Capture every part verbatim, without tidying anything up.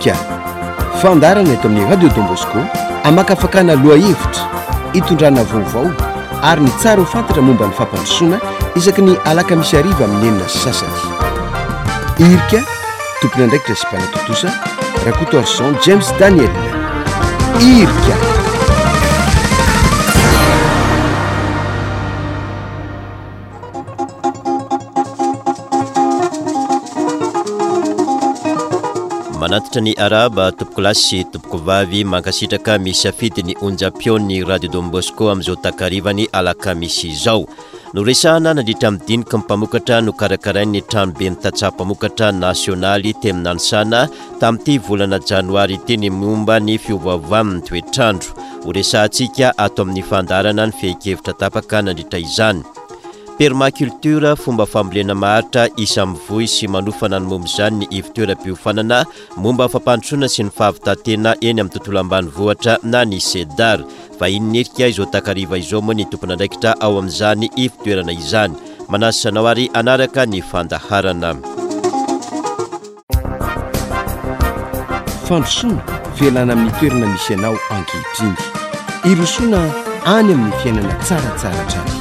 Irika, fandaharana eto amin'ny Radio Don Bosco amakafakana lohahevitra, itondrana vaovao ary ny tsara ho fantatra momba ny fampandrosoana isaky ny alakamisy hariva amin'ny enina sy sasany. Irika, tompon'andraikitra sy mpanatontosa Rakotoarison James Daniel. Irika. Manatitra ny arahaba tompokolahy sy tompokovavy, mankasitraka misafidy ny onjam-peon'ny Radio Don Bosco amin'izao takarivany alakamisy izao. Noresahana nandritra ny diniky ny mpamokatra nokarakarain'ny tranoben'ny tantsaha mpamokatra nasionaly teny Nanisana tamin'ity volana janoary ity ny momba ny fiovaovan'ny toetrandro. Horesahantsika ato amin'ny fandaharana ny fehin-kevitra tapaka nandritra izany. Permaculture, fomba fambolena maharitra isan'ny mivoy sy manofana ny momba izany ny ivon-toeram-piofanana momba ny fampandrosoana sy ny fahavitan-tena eny amin'ny tontolo ambanivohitra na ny SEDAR. Vahiny nirika izao takariva izao moa ny tompon'andraikitra ao amin'izany ivon-toerana izany. Manasa anao ary hanaraka ny fandaharana. Fandrosoana, fialana amin'ny toerana misy anao ankehitriny. Irosoana any amin'ny fiainana tsaratsara hatrany.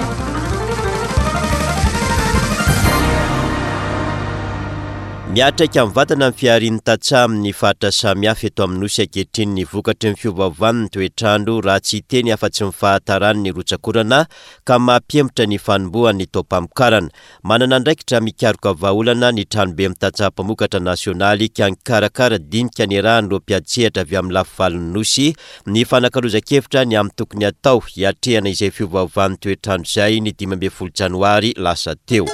Miatraika mivantana ny fiharian'ny tantsaha amin'ny faritra samihafa eto amin'ny nosy ankehitriny ny vokatry ny fiovaovan'ny toetrandro raha tsy hiteny afa-tsy ny fahataran'ny rotsakorana ka mampihemotra ny fanombohan'ny taom-pamokarana. Manana andraikitra mikaroka vahaolana ny tranobe amin'ny tantsaha mpamokatra nasionaly ka nikarakara dinika niarahan'ireo mpiantsehatra avy amin'ny lafivalon'ny nosy ny fanakalozan-kevitra ny amin'ny tokony atao hiatrehana izay fiovaovan'ny toetrandro izay ny dimy ambin'ny folo janoary lasa teo.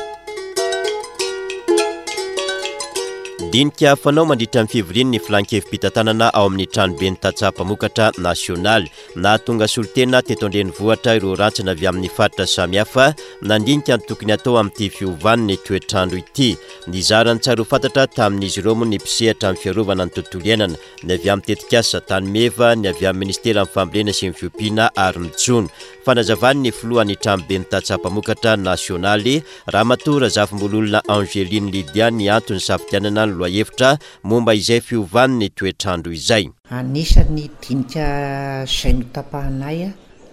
Dinika fanao mandritra ny fivorian'ny filan-kevi-pitantanana ao amin'ny tranoben'ny tantsaha mpamokatra nasionaly. Nahatonga solontena teto an-drenivohitra ireo rantsana avy amin'ny faritra samihafa nandinika ny tokony atao amin'ity fiovan'ny toetrandro ity. Nizara ny tsara ho fantatra tamin'izy ireo moa ny mpisehatra amin'ny fiarovana ny tontolo iainana, ny avy amin'ny tetikasa Tanimeva, ny avy amin'ny ministeran'ny fambolena sy ny fiompiana ary ny jono. Fanazavan'ny filohan'ny tranoben'ny tantsaha mpamokatra nasionaly Ramatoa Razafimbololona Angeline Lydia ny antony safidianana ny lohahevitra momba izay fiovan'ny toetrandro izay. Anisan'ny dinika izay notapahanay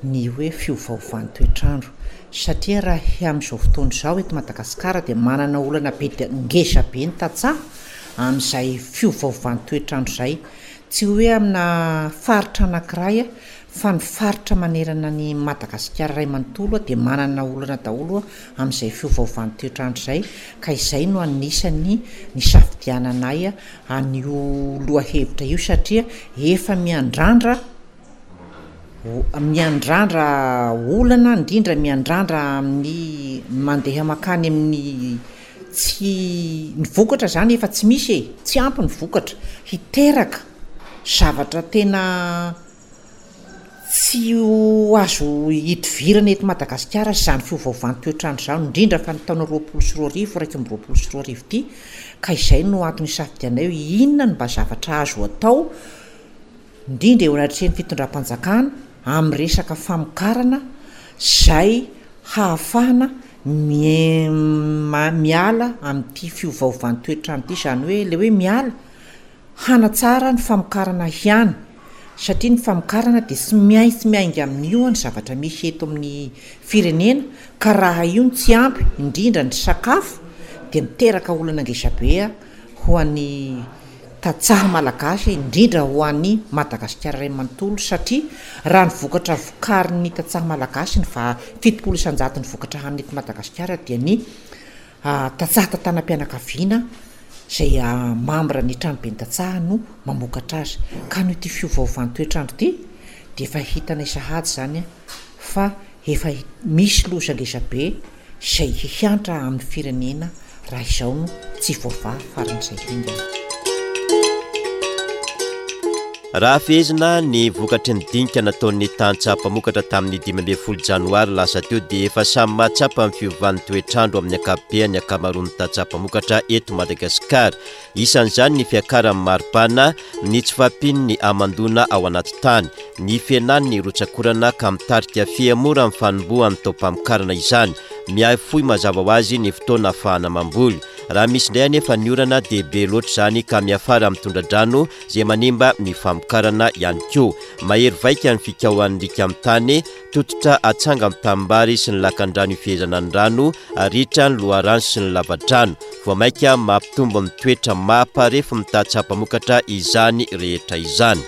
ny hoe fiovaovan'ny toetrandro, satria raha amin'izao fotoana izao eto Madagasikara dia manana olana be dia ngeza be ny tantsaha amin'izay fiovaovan'ny toetrandro izay. Tsy hoe amina faritra anankiray fa ny faritra manerana ny Madagasikara iray manontolo dia manana olana daholo amin'izay fiovaovan'ny toetrandro izay, ka izay no anisan'ny nisafidiananay an'io lohahevitra io, satria efa miandrandra miandrandra olana, indrindra miandrandra amin'ny mandeha makany amin'ny tsy ny vokatra zany efa tsy misy e, tsy ampy ny vokatra hiteraka zavatra tena tsy ho azo idivirana eto Madagasikara izany fiovaovan'ny toetrandro izany, indrindra fa ny taona roapolo sy roa arivo, iraika amby roapolo sy roa arivo ity, ka izay no antony isafidianay hoe inona no mba zavatra azo atao indrindra eo anatrehan'ny fitondram-panjakana amin'ny resaka famokarana izay hahafahana miala amin'ity fiovaovan'ny toetrandro ity, izany hoe le hoe miala hanatsara ny famokarana ihany, satria ny famokarana dia tsy maintsy miainga amin'io ny zavatra misy eto amin'ny firenena, ka raha io no tsy ampy indrindra ny sakafo dia miteraka olana ngeza be ho an'ny tantsaha malagasy, indrindra ho an'ny Madagasikara iray manontolo, satria raha ny vokatra vokarin'ny tantsaha malagasy ny va fitopolo isan-jato ny vokatra hanina eto Madagasikara dia ny tantsaha tantanam-pianakaviana izay mambra ny tranoben'ny tantsaha no mamokatra azy. Ka noho ity fiovaovan'ny toetrandro ity dia efa hitanay sahady zany fa efa misy loza ngeza be izay hihantra amin'ny firenena raha izao no tsy voavaha faran'izay haingana. Raha fehezina ny vokatry ny dinika nataon'ny tantsaha mpamokatra tamin'ny dimy ambin'ny folo janoary lasa teo dia efa samy mahatsapa ny fiovan'ny toetrandro amin'ny ankapobeny ankamaroan'ny tantsaha mpamokatra eto Madagasikara. Isan'izany ny fiakaran'ny maripana, ny tsy fahampian'ny hamandoana ao anaty tany, ny fihenan'ny rotsakorana ka mitarika fihemoran'ny fanombohan'ny taom-pamokarana izany. Miahy fohy mazava ho azy ny fotoana ahafahana mamboly. Raha misy indray anefa ny orana dia be loatra izany ka miafara amin'ny tondra-drano izay manimba ny famokarana ihany koa. Mahery vaika ny fikaohan'ny riaka amin'ny tany, tototra atsanga amin'ny tanimbary sy ny lakandrano ifehezana ny rano, ritra ny loharano sy ny lavadrano. Vao mainka mampitombo ny toetra maha-parefo ny tantsaha mpamokatra izany rehetra izany.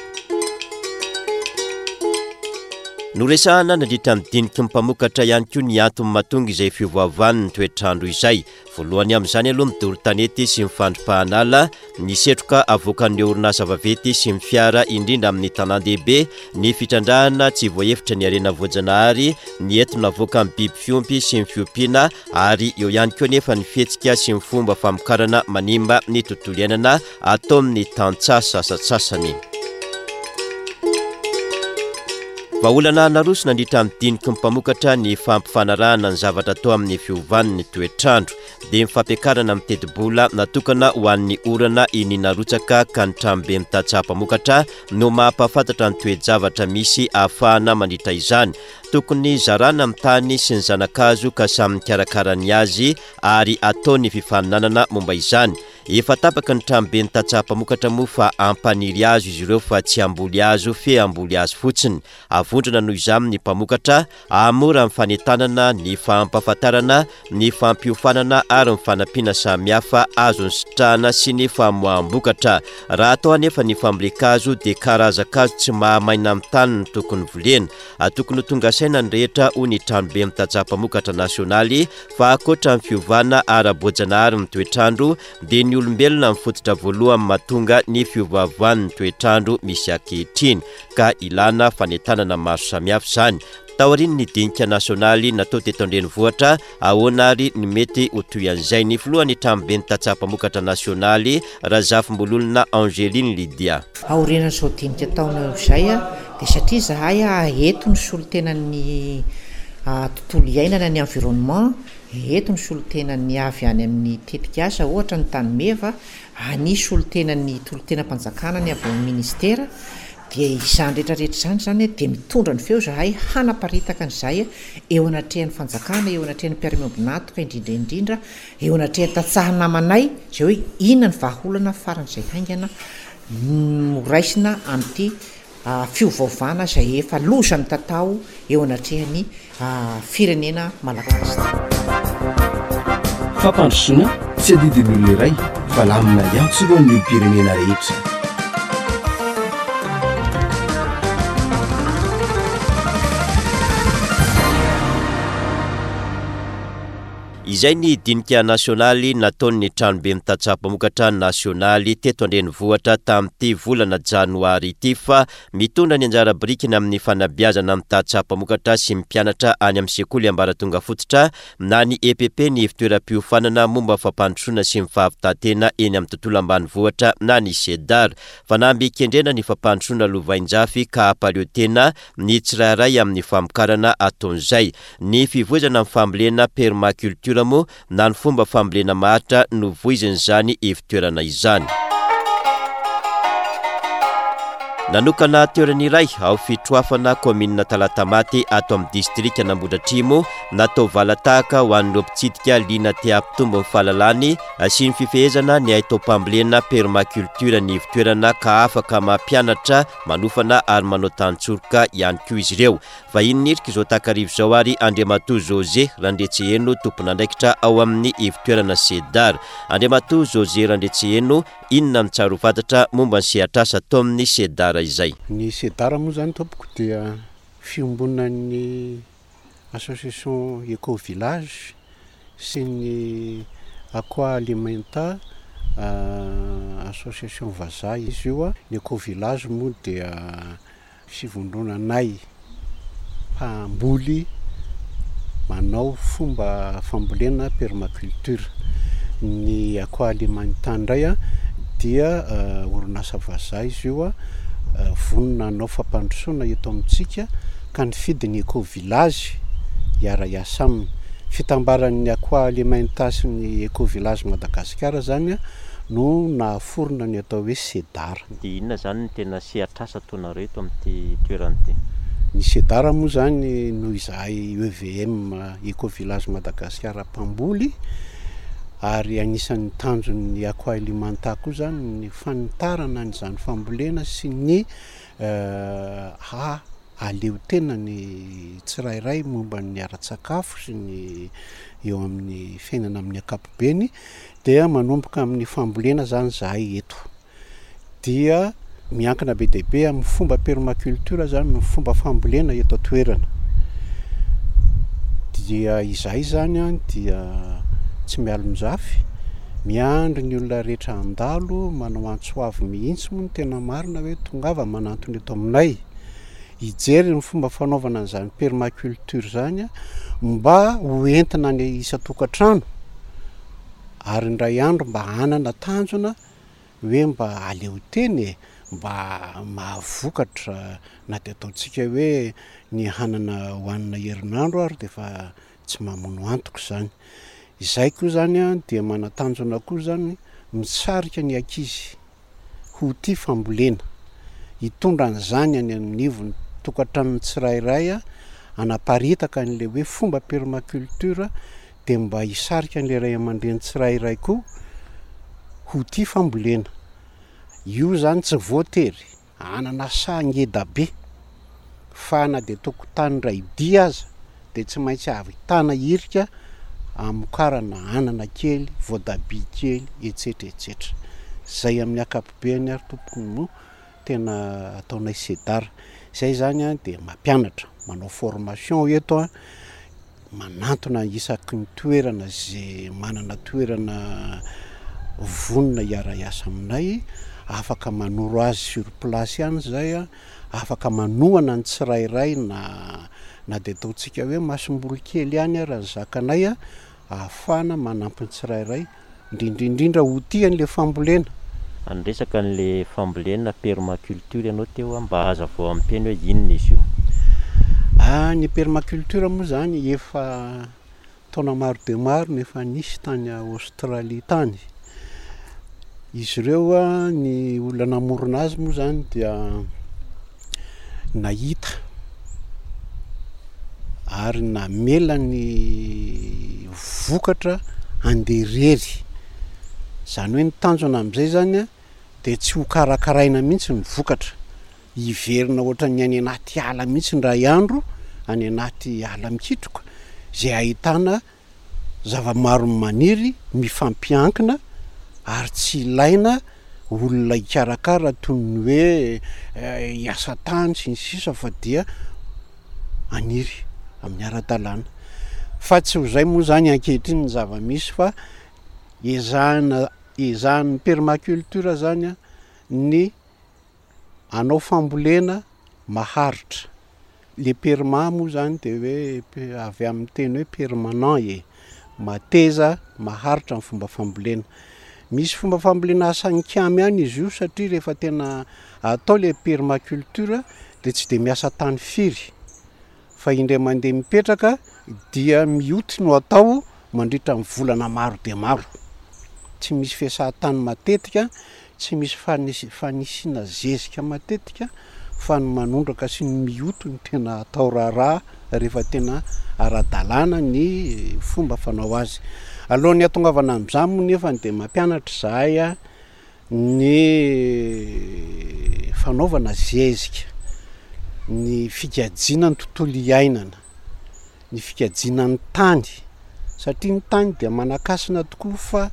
Noresahana nandritra ny diniky ny mpamokatra ihany koa ny antony mahatonga izay fiovaovan'ny toetr'andro izay. Voalohany amin'izany aloha ny doro tanety sy ny fandripahana ala, ny setroka avoakan'ireo orinasa vaventy sy ny fiara indrindra amin'ny tanàn-dehibe, ny fitrandrahana tsy voahevitra ny harena voajanahary, ny entona avoakan'ny biby fiompy sy ny fiompiana, ary eo ihany koa anefa ny fihetsika sy ny fomba famokarana manimba ny tontolo iainana ataon'ny tantsaha sasantsasany. Vahaolana naroso nandritra ny diniky ny mpamokatra ny fampifanarahana ny zavatra atao amin'ny fiovan'ny toetr'andro, dia ny fampiakarana amin'ny tetibola natokana ho an'ny orana iny narotsaka ka ny tranobe mitantsaha mpamokatra no mampahafantatra ny toe-javatra misy ahafahana mandritra izany. Tokony zarana amin'ny tany sy ny zana-kazo ka samy mikarakara ny azy ary atao ny fifaninanana momba izany. Efa tapaka ny tranobe ny tantsaha mpamokatra moa fa hampaniry hazo izy ireo fa tsy hamboly hazo fe hamboly hazo fotsiny. Avondrona noho izany ny mpamokatra, hahamora ny fanentanana, ny fampahafantarana, ny fampiofanana ary ny fanampiana samihafa azon'ny sitrahana sy ny famoaham-bokatra. Raha atao anefa ny fambolen-kazo dia karazan-kazo tsy mahamaina amin'ny tany no tokony volena. Tokony ho tonga saina ny rehetra hoy ny tranobe ny tantsaha mpamokatra nasionaly fa ankoatra ny fiovana ara-boajanahary ny toetr'andro dia ny olombelona ny fototra voalohany mahatonga ny fiovaovan'ny toetr'andro misy ankehitriny ka ilana fanentanana maro samihafa izany. Taorian'ny dinika nasionaly natao teto an-drenivohitra, ahoana ary ny mety ho toy an'izay? Ny filohan'ny tranobe ny tantsaha mpamokatra nasionaly, Razafimbololona Angeline Lydia. Aorian'izao dinika taona izay dia satria izahay eto ny solontenan'ny tontolo iainana, ny environnement, eto ny solontenan'ny avy any amin'ny tetikasa ohatra ny Tanimeva, any solontenan'ny tolo-tenam-panjakana ny avy ao amin'ny ministera, dia izany rehetrarehetra izany zany dia mitondra ny feo izahay hanaparitaka an'izay eo anatrehan'ny fanjakana, eo anatrehan'ny mpiara-miombon'antoka indrindra indrindra, eo anatrehan'ny tantsaha namanay, izay hoe inona ny vahaolana faran'izay haingana noraisina amin'ity fiovaovana izay efa loza mitatao eo anatrehan'ny firenena malagasy. Fampandrosoana tsy adidin'ny olona iray fa lamina iantsorohan'ny olom-pirenena rehetra. Izay ny dinika nasionaly nataon'ny tranobe ny tantsaha mpamokatra nasionaly teto an-drenivohitra tamin'ity volana janoary ity fa mitondra ny anjara birikiny amin'ny fanabeazana ny tantsaha mpamokatra sy ny mpianatra any amin'ny sekoly ambaratonga fototra na ny E P P ny fitoeram-piofanana momba fampandrosoana sy ny fahavitantena eny amin'ny tontolo ambanivohitra na ny SEDAR. Fanamby kendrena ny fampandrosoana lovainjafy ka hampaleo tena ny tsirairay amin'ny famokarana ataon'izay. Ny fivoizana amin'ny fambolena permaculture moa na ny fomba fambolena maharitra no voizin'izany ivontoerana izany. Nanokana toerana iray ao Fitroafana, kaominina Talatamaty ato amin'ny distrika Nambodratrimo, natao valatahaka ho an'ireo mpitsidika liana te hampitombo ny fahalalany sy ny fifehezana ny haitaom-pambolena permaculture ny ivontoerana ka afaka mampianatra, manofana ary manao tantsoroka ihany koa izy ireo. Vahiny nirika izao takariva izao ary Andriamatoa José Randriantseheno, tompon'andraikitra ao amin'ny ivontoerana SEDAR. Andriamatoa José Randriantseheno, inona no tsara ho fantatra momba ny sehatrasa atao amin'ny SEDAR izay? Ny SEDAR moa izany tompoko dia fiombonan'ny association Eco Village sy ny Aqua Alimenta, association vazaha izy io. Ny Eco Village moa dia fivondronanay mpamboly manao fomba fambolena permaculture. Ny Aqua Alimenta indray a dia orinasa vazaha izy io, vonona hanao fampandrosoana eto amintsika ka nifidy ny Eco Village hiara-hiasa aminy. Fitambaran'ny Aqua Alimenta sy ny Eco Village Madagasikara zany no nahaforona ny atao hoe SEDAR. Dia inona zany no tena sehatrasa ataonareo eto amin'ity toerana ity? Ny SEDAR moa zany noho izahay E V M Eco Village Madagasikara mpamboly Ary anisan'ny tanjon'ny Aqua Alimenta koa zany ny fanitarana an'izany fambolena sy ny hahaleo tena ny tsirairay momba ny ara-tsakafo sy ny eo amin'ny fiainana amin'ny ankapobeny. Dia manomboka amin'ny fambolena zany zahay eto, dia miankina be dia be amin'ny fomba permaculture zany ny fomba fambolena eto an-toerana. Dia izahay zany an dia tsy mialon-jafy, miandry ny olona rehetra handalo, manao antso avo mihitsy moa ny tena marina hoe tongava manantona eto aminay hijery ny fomba fanaovana an'izany permaculture zany mba ho entina any isan-tokantrano, ary indray andro mba hanana tanjona hoe mba aleo teny e, mba mahavokatra na dia ataontsika hoe ny hanana hohanina herinandro ary dia efa tsy mamono antoka izany. Izay koa zany an dia manan-tanjona koa zany misarika ny ankizy ho tia fambolena, hitondra an'izany any anivon'ny tokantranon'ny tsirairay, hanaparitaka an'ilay hoe fomba permaculture, dia mba hisarika an'ilay ray aman-dreny tsirairay koa ho tia fambolena. Io zany tsy voatery hanana saha ngeda be, fa na dia tokotany iray dia aza dia tsy maintsy ahavitana hirika hamokarana anana kely, voatabia kely, etsetra etsetra. Zay amin'ny ankapobeny ary tompoko no tena ataonay SEDAR. Zay zany an dia mampianatra, manao formation eto an, manantona isaky ny toerana zay manana toerana vonona hiara-hiasa aminay, afaka manoro azy sur place ihany zay an, afaka manohana ny tsirairay na na dia ataontsika hoe masomboly kely ihany ary ny zakanay an, ahafahana manampy ny tsirairay, indrindra indrindra ho tia an'ilay fambolena. Niresaka an'ilay fambolena permaculture ianao teo, mba hazavao amin'ny teny hoe inona izy io? Ah, ny permaculture moa zany efa taona maro dia maro no efa nisy tany Aostralia tany. Izy ireo a, ny olona namorona azy moa zany dia nahita ary namela ny vokatra handeha irery. Zany hoe ny tanjona amin'izay zany a dia tsy ho karakaraina mihitsy ny vokatra, hiverina ohatran'ny any anaty ala mihitsy indray andro, any anaty ala mikitroka izay ahitana zava-maro maniry mifampiankina, ary tsy ilaina olona hikarakara toy ny hoe hiasa tany sy ny sisa, fa dia haniry amin'ny ara-dalàna. Fa tsy ho izay moa zany ankehitriny ny zava-misy, fa ezahana ezahan'ny permaculture zany a ny hanao fambolena maharitra. Le perma moa zany de hoe avy amin'ny teny hoe permanent e, mateza maharitra ny fomba fambolena. Misy fomba fambolena asanikamy ihany izy io, satria rehefa tena atao le permaculture de tsy de miasa tany firy, fa indray mandeha mipetraka dia mioty no atao mandritra ny volana maro dia maro. Tsy misy fiasan-tany matetika, tsy misy fanis- fanisiana zezika matetika, fa ny manondraka sy ny mioty no tena atao raharaha rehefa tena ara-dalàna ny fomba fanao azy. Alohan'ny hahatongavana amin'izany moa nefa dia mampianatra izahay a ny fanaovana zezika, ny fikajiana ny tontolo iainana, ny fikajiana ny tany, satria ny tany dia manan-kasina tokoa, fa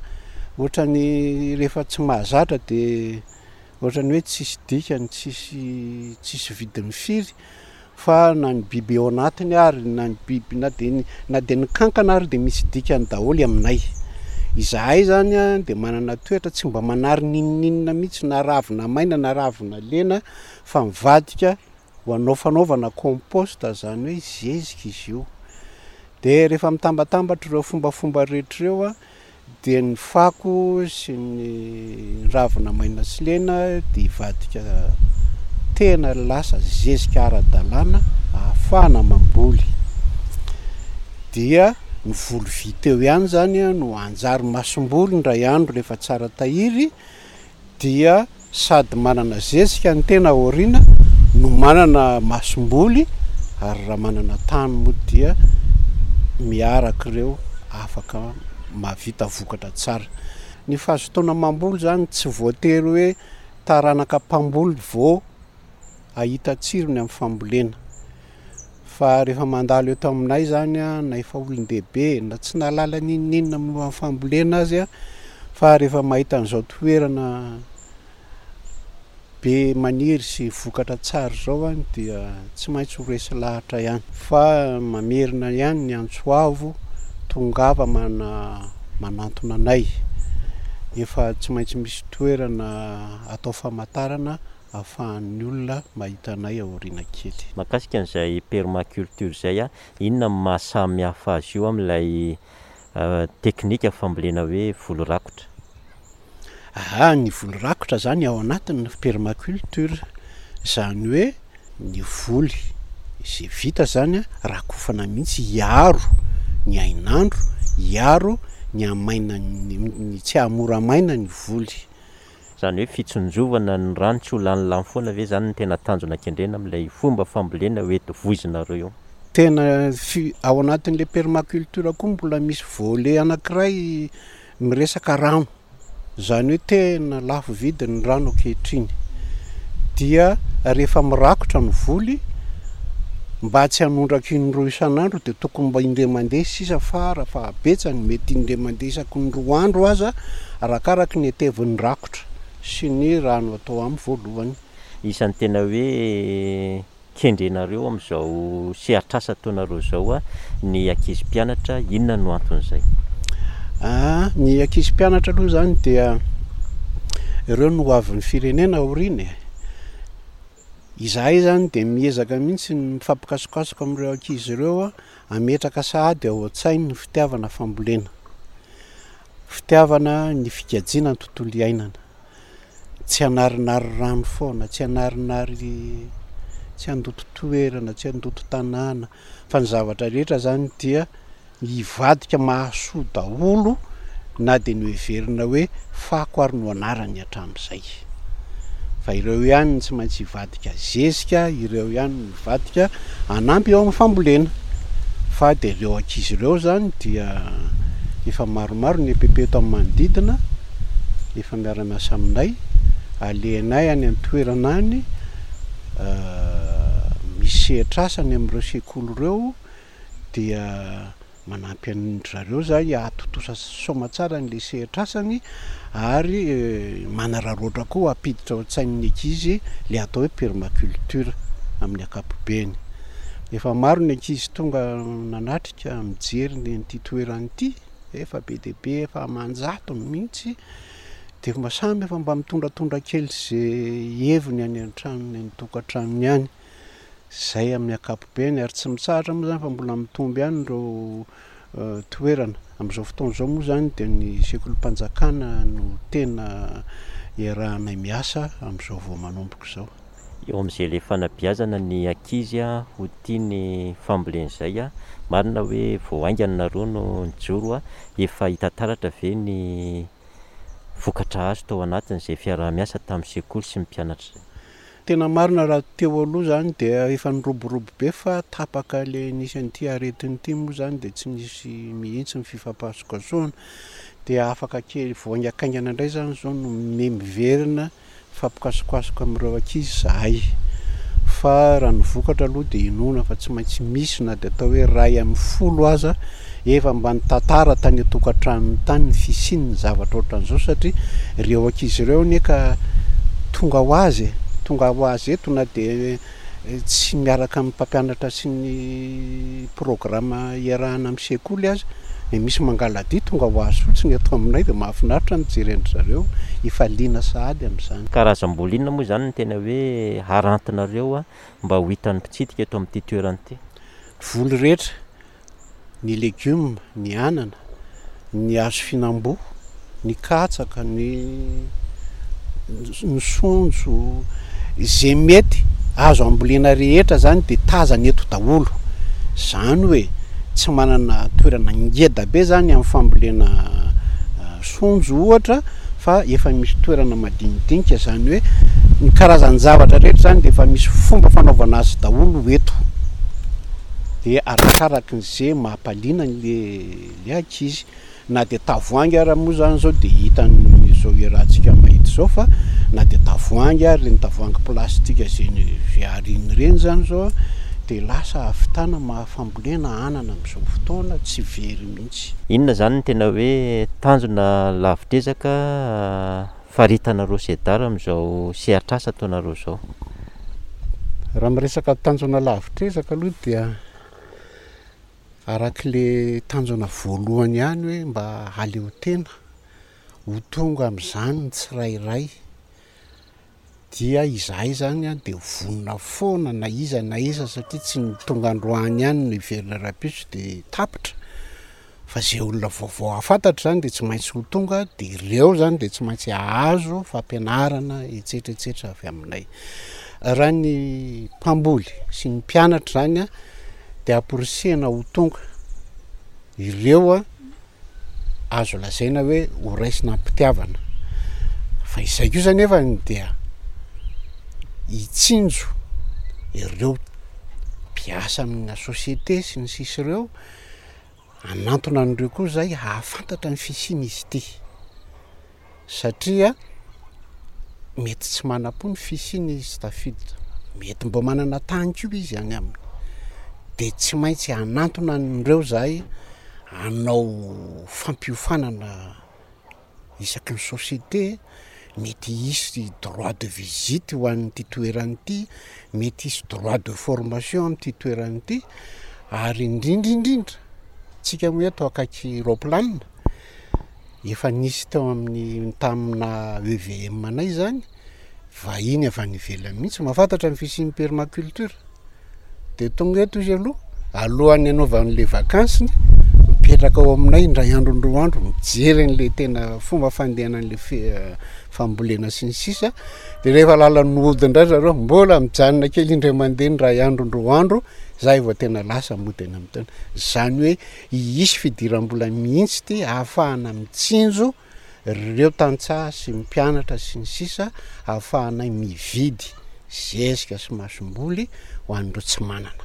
ohatran'ny rehefa tsy mahazatra dia ohatran'ny hoe tsisy dikany, tsisy tsisy vidiny firy, fa na ny biby ao anatiny ary na ny biby na de ny na de ny kankana ary dia misy dikany daholo aminay. Izahay zany a dia manana toetra tsy mba manary n'inon'inona mihitsy, na ravina maina na ravina lena, fa mivadika ho anao fanaovana compost, zany hoe zezika izy io. De rehefa mitambatambatra ireo fombafomba rehetra ireo a dia ny fako sy ny ravina maina sy lena dia hivadika tena lasa zezika ara-dalàna ahafahana mamboly. Dia ny voly vita eo ihany zany a no anjary masomboly indray andro rehefa tsara tahiry, dia sady manana zezika ny tena aoriana no manana masomboly, ary raha manana tany moa dia miaraka ireo afaka mahavita vokatra tsara. Ny fahazotoana mamboly zany tsy voatery hoe taranaka mpamboly vao hahita tsirony amin'ny fambolena. Fa rehefa mandalo eto aminay zany a, na efa olon-dehibe na tsy nahalala n'inon'inona momba ny fambolena azy a, fa rehefa mahita an'izao toerana be maniry sy vokatra tsara izao any dia tsy maintsy ho resy lahatra ihany. Fa mamerina ihany ny antso avo, tongava mana manantona anay. Efa tsy maintsy misy toerana atao famantarana ahafahan'ny olona mahita anay aoriana kely. Mahakasika an'izay permaculture izay a, inona no maha samy hafa azy io amin'ilay teknika fambolena hoe voly rakotra? Aha, ny voly rakotra zany ao anatin'ny permaculture, zany hoe ny voly izay vita zany a, rakofana mihitsy hiaro ny hainandro, hiaro ny hamaina ny tsy hahamora maina ny voly. Izany hoe fitsinjovana ny rano tsy ho lanilany foana ve zany no tena tanjona kendrena amin'ilay fomba fambolena hoe voizinareo io? Tena fi- ao anatin'le permaculture koa mbola misy volet anankiray miresaka rano, zany hoe tena lafo vidy ny rano ankehitriny. Dia rehefa mirakotra ny voly, mba tsy hanondraka indroa isan'andro dia tokony mba indray mandeha sisa fara fahabetsany, mety indray mandeha isaky ny roa andro aza, arakaraky ny hatevin'ny rakotra sy ny rano atao amin'ny voalohany. Isan'ny tena hoe kendrenareo amin'izao sehatr'asa ataonareo izao a, ny ankizy mpianatra, inona no anton'izay? Ah, ny ankizy mpianatra aloha zany dia ireo no ho avin'ny firenena aoriana e. Izahay zany dia miezaka mihitsy ny mifampikasokasoka amin'ireo ankizy ireo a, hametraka sahady ao an-tsainy ny fitiavana fambolena. Fitiavana ny fikajiana ny tontolo iainana. Tsy hanarinary rano foana, tsy hanarinary, tsy handoto toerana, tsy handoto tanàna, fa ny zavatra rehetra zany dia hivadika mahasoa daholo na dia noheverina hoe fako ary no anarany hatramin'izay. Fa ireo ihany no tsy maintsy hivadika zezika, ireo ihany no hivadika hanampy eo amin'ny fambolena. Fa dia ireo ankizy ireo zany dia efa maromaro ny E P P eto amin'ny manodidina, efa miara-miasa aminay, alehanay any an-toerana any, misy sehatr'asa any amin'ireo sekoly ireo, dia manampy an-dry zareo zay hahatontosa soamantsara an'ilay sehatr'asany ary manararaotra koa hampiditra ao an-tsain'ny ankizy ilay atao hoe permaculture amin'ny ankapobeny. Efa maro ny ankizy tonga nanatrika mijery ny an'ity toerana ity, efa be dia be, efa aman-jatony mihitsy, dia mba samy efa mba mitondratondra kely izay heviny any an-tranony, any an-tokantranony any. Izay amin'ny ankapobeny, ary tsy mitsahatra moa zany fa mbola mitombo ihany ireo toerana. Amin'izao fotoana izao moa zany dia ny sekolim-panjakana no tena iarahanay miasa amin'izao vao manomboka izao. Eo amin'izay ilay fanabeazana ny ankizy a, ho tia ny fambolena izay a, marina hoe vao haingana nareo no nijoro a, efa hita taratra ve ny vokatra azo tao anatin'izay fiaraha-miasa tamin'ny sekoly sy ny mpianatra izay? Tena marina raha teo aloha zany dia efa niroborobo be fa tapaka le nisy an'ity aretina ity moa zany dia tsy nisy mihitsy ny fifampahasokasohana. Dia afaka kely vao haingakaingana indray zany zao no me miverina mifampikasokasoka amin'ireo ankizy zahay. Fa raha ny vokatra aloha dia inoana fa tsy maintsy misy na dia atao hoe iray amin'ny folo aza efa mba nitantara tany an-tokantranony tany ny fisian'ny zavatra ohatran'izao, satria ireo ankizy ireo anie ka tonga ho azy e, tonga ho azy eto na dia tsy miaraka amin'ny mpampianatra sy ny programa iarahana amin'ny sekoly aza, dia misy mangaladia tonga ho azy fotsiny eto aminay, dia mahafinaritra mijery an-dry zareo, efa liana sahady amin'izany. Karazam-boly inona moa izany no tena hoe harantinareo mba ho hitan'ny mpitsidika eto amin'ity toerana ity? Voly rehetra, ny legioma, ny anana, ny hazo fihinam-boa, ny katsaka, ny ny sonjo, izay mety azo ambolena rehetra zany dia tazana eto daholo. Zany hoe tsy manana toerana ngeda be zany amin'ny fambolena sonjo ohatra, fa efa misy toerana madinidinika, zany hoe ny karazan-javatra rehetra zany dia efa misy fomba fanaovana azy daholo eto. Dia arakaraky ny ze mampaliana an'le le ankizy. Na dia tavoahangy ara moa zany zao dia hitan'izao iarahantsika mahita izao fa na dia tavoahangy ary ireny tavoahangy plastika izay izay ariana ireny zany zao dia lasa ahavitana maha fambolena anana amin'izao fotoana tsy very mihitsy. Inona izany no tena hoe tanjona lavitr'ezaka faritanareo SEDAR amin'izao sehatr'asa ataonareo izao? Raha miresaka tanjona lavitr'ezaka aloha dia arak'le tanjona voalohany ihany hoe mba haleo tena ho tonga amin'izany ny tsirairay dia izahay zany an dia vonona foana na iza na iza satria tsy ny tonga androany ihany no hiverina rahampitso dia tapitra fa zay olona vaovao hahafantatra zany dia tsy maintsy ho tonga dia ireo zany dia tsy maintsy hahazo fampianarana etsetra etsetra avy aminay. Raha ny mpamboly sy ny mpianatra zany an dia amporisihana ho tonga ireo an, azo lazaina hoe ho raisina am-pitiavana. Fa izay kosa anefa dia hitsinjo ireo mpiasa amina société sy ny sisa ireo, hanantona an'ireo koa zay hahafantatra ny fisian'izy ity. Satria mety tsy manam-po ny fisiany izy tafiditra, mety mbo manana tany koa izy any aminy, de tsy maintsy hanantona an'ireo zahay hanao fampiofanana isaky ny société, mety hisy droit de visite ho an'ity toerana ity, mety hisy droit de formation amin'ity toerana ity, ary indrindra indrindra tsika moa eto akaiky roaplanina, Efa nisy teo amin'ny tamina EVM anay izany, vahiny avy any ivelany mihitsy mahafantatra ny fisian'ny permaculture. Dia tonga eto izy aloha, alohan'ny hanaovany le vakansiny, mipetraka ao aminay indray andro indroa andro, mijery an'le tena fomba fandehanan'le fe- fambolena sy ny sisa. Dia rehefa lalan'ny hody indray zareo, mbola mijanona kely indray mandeha indray andro indroa andro, zay vao tena lasa mody any amin'ny tany. Izany hoe Hisy fidiram-bola mihitsy ity ahafahana mitsinjo ireo tantsaha sy ny mpianatra sy ny sisa ahafahanay mividy zezika sy masomboly ho an'ireo tsy manana.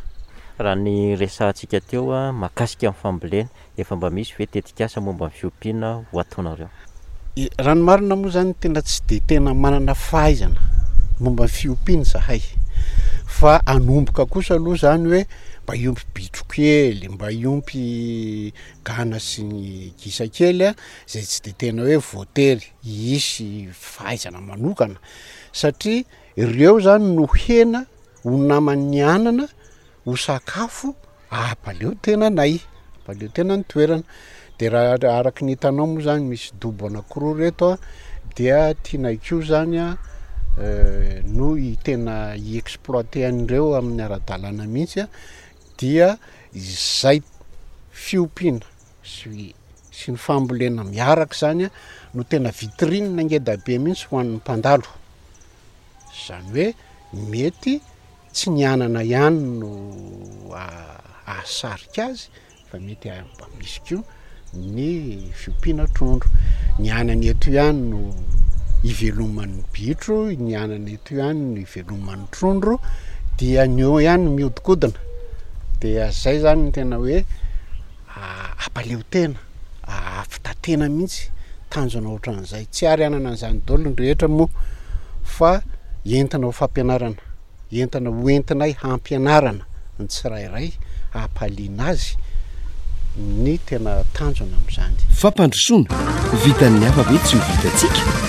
Raha ny resahantsika teo mahakasika ny fambolena, efa mba misy ve tetikasa momba ny fiompiana ho ataonareo? Raha ny marina moa zany tena tsy dia tena manana fahaizana momba ny fiompiana izahay fa hanomboka kosa aloha zany hoe mba hiompy bitro kely, mba hiompy gana sy ny gisa kely a, zay tsy de tena hoe voatery hisy fahaizana manokana satria ireo zany no hena ho naman'ny anana ho sakafo Ampaleo tena anay, ampaleo tena ny toerana. De raha araky ny hitanao moa zany misy dobo anakiroa reto a, dia tianay koa zany a no hi- tena hi-exploiter an'ireo amin'ny ara-dalàna mihitsy a, dia izay fiompiana sy sy ny fambolena miaraka zany a no tena vitrine ngeda be mihitsy ho an'ny mpandalo, zany hoe mety Tsy ny anana ihany no hahasarika azy fa mety mba misy koa ny fiompiana trondro. Ny anana eto ihany no iveloman'ny bitro, ny anana eto ihany no iveloman'ny trondro, dia ny eo ihany no mihodinkodina. Dia zay zany no tena hoe hampaleo tena, hahavita-tena mihitsy, tanjona ohatran'izay. Tsy ary hanana an'izany daholo ny rehetra moa fa entina ho fampianarana. Entana ho entinay hampianarana ny tsirairay hampaliana azy ny tena tanjona amin'izany. Fampandrosoana, vitan'ny hafa ve tsy ho vitantsika?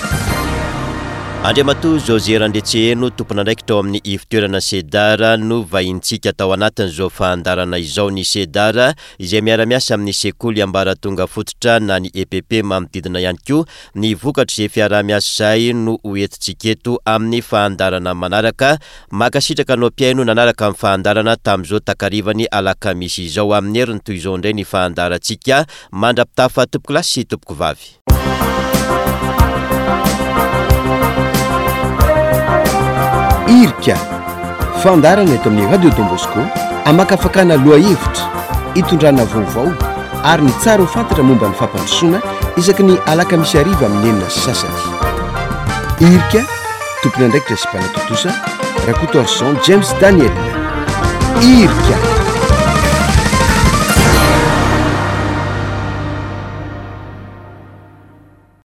Andriamatoa José Randriantseheno, tompon'andraikitra ao amin'ny ivon-toerana Cedar no vahinintsika tao anatin'izao fahandarana izao. Ny Cedar izay miara-miasa amin'ny sekoly ambaratonga fototra na ny EPP manodidina ihany koa Ny vokatr'izay fiaraha-miasa izay no ho entintsika eto amin'ny fahandarana manaraka. Mankasitraka anao mpihaino nanaraka ny fahandarana tamin'izao takarivan'ny alakamisy izao. Amin'ny heriny toy izao indray ny fahandarantsika. Mandra-pitafa tompokolahy sy tompokovavy. Irika, fandaharana eto amin'ny Radio Don Bosco hamakafakana lohahevitra, hitondrana vaovao ary ny tsara ho fantatra momba ny fampandrosoana isaky ny alakamisy hariva amin'ny enina sy sasany. Irika, tompon'andraikitra sy mpanatontosa, Rakotoarison James Daniel. Irika.